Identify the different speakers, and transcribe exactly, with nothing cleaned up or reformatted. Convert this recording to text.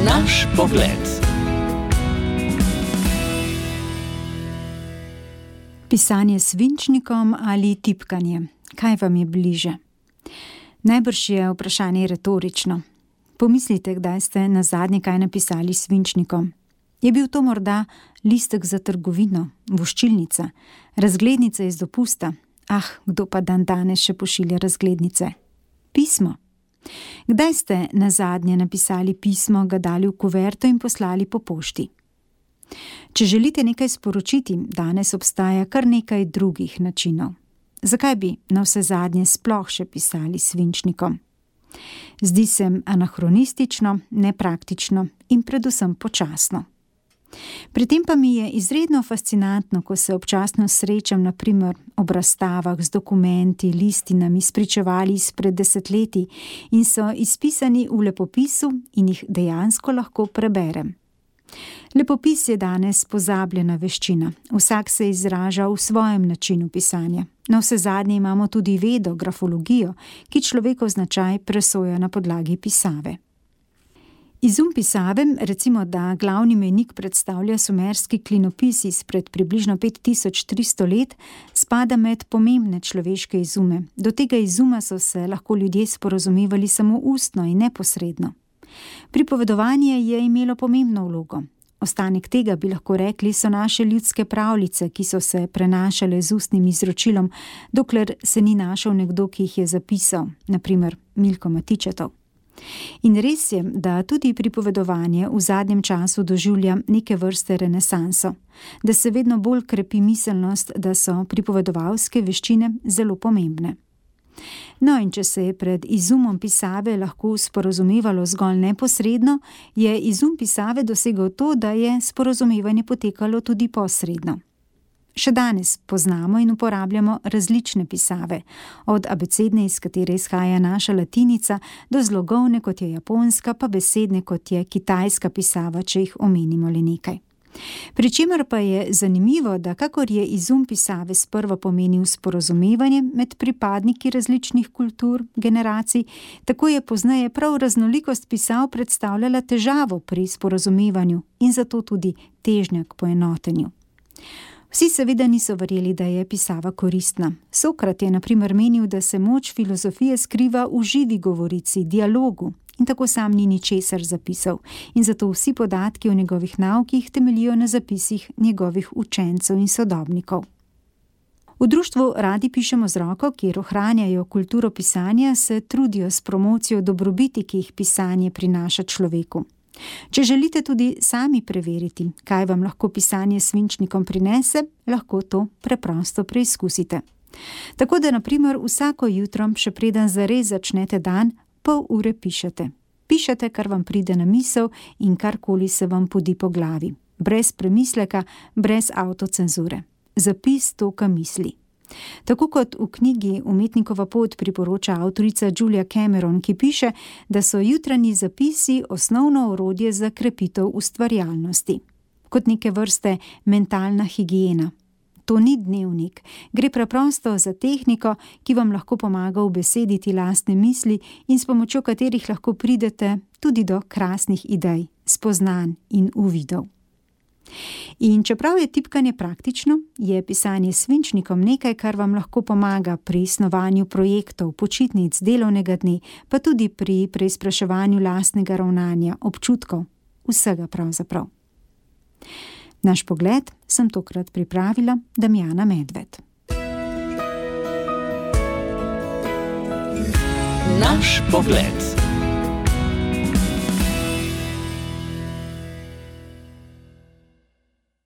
Speaker 1: Naš pogled.
Speaker 2: Pisanje s svinčnikom ali tipkanje? Kaj vam je bliže? Najbrž je vprašanje retorično. Pomislite, kdaj ste nazadnje kaj napisali s svinčnikom. Je bil to morda listek za trgovino, voščilnica, razglednica iz dopusta? Ah, kdo pa dan danes še pošilja razglednice? Pismo. Kdaj ste nazadnje napisali pismo, ga dali v kuverto in poslali po pošti? Če želite nekaj sporočiti, danes obstaja kar nekaj drugih načinov. Zakaj bi navsezadnje sploh še pisali s svinčnikom? Zdi se anahronistično, nepraktično in predvsem počasno. Pri tem pa mi je izredno fascinantno, ko se občasno srečam na primer ob razstavah z dokumenti, listinami, spričevali izpred desetletij in so izpisani v lepopisu in jih dejansko lahko preberem. Lepopis je danes pozabljena veščina. Vsak se izraža v svojem načinu pisanja. Navsezadnje imamo tudi vedo, grafologijo, ki človekov značaj presoja na podlagi pisave. Izum pisave, recimo da glavni mejnik predstavlja sumerski klinopis izpred približno pet tisoč tristo let, spada med pomembne človeške izume. Do tega izuma so se lahko ljudje sporazumevali samo ustno in neposredno. Pripovedovanje je imelo pomembno vlogo. Ostanek tega bi lahko rekli so naše ljudske pravljice, ki so se prenašale z ustnim izročilom, dokler se ni našel nekdo, ki jih je zapisal, na primer Milko Matičetov. In res je, da tudi pripovedovanje v zadnjem času doživlja neke vrste renesanso, da se vedno bolj krepi miselnost, da so pripovedovalske veščine zelo pomembne. No, in če se je pred izumom pisave lahko sporazumevalo zgolj neposredno, je izum pisave dosegel to, da je sporazumevanje potekalo tudi posredno. Še danes poznamo in uporabljamo različne pisave, od abecedne, iz katere izhaja naša latinica, do zlogovne, kot je japonska, pa besedne, kot je kitajska pisava, če jih omenimo le nekaj. Pričemer pa je zanimivo, da kakor je izum pisave sprva pomenil sporazumevanje med pripadniki različnih kultur, generacij, tako je pozneje prav raznolikost pisav predstavljala težavo pri sporazumevanju in zato tudi težnja k poenotenju. Vsi seveda niso verjeli, da je pisava koristna. Sokrat je na primer menil, da se moč filozofije skriva v živi govorici, dialogu, in tako sam ni ničesar zapisal, in zato vsi podatki o njegovih naukih temeljijo na zapisih njegovih učencev in sodobnikov. V društvu Radi pišemo z roko, kjer ohranjajo kulturo pisanja, se trudijo s promocijo dobrobiti, ki jih pisanje prinaša človeku. Če želite tudi sami preveriti, kaj vam lahko pisanje s svinčnikom prinese, lahko to preprosto preizkusite. Tako da na primer vsako jutro, še preden zares začnete dan, pol ure pišete. Pišete, kar vam pride na misel in karkoli se vam podi po glavi. Brez premisleka, brez avtocenzure. Zapis toka misli. Tako kot v knjigi Umetnikova pot priporoča avtorica Julia Cameron, ki piše, da so jutranji zapisi osnovno orodje za krepitev ustvarjalnosti. Kot neke vrste mentalna higiena. To ni dnevnik, gre preprosto za tehniko, ki vam lahko pomaga ubesediti lastne misli in s pomočjo katerih lahko pridete tudi do krasnih idej, spoznanj in uvidov. In čeprav je tipkanje praktično, je pisanje s svinčnikom nekaj, kar vam lahko pomaga pri snovanju projektov, počitnic, delovnega dne, pa tudi pri preizpraševanju lastnega ravnanja, občutkov, vsega pravzaprav. Naš pogled sem tokrat pripravila Damjana Medved.
Speaker 1: Naš pogled.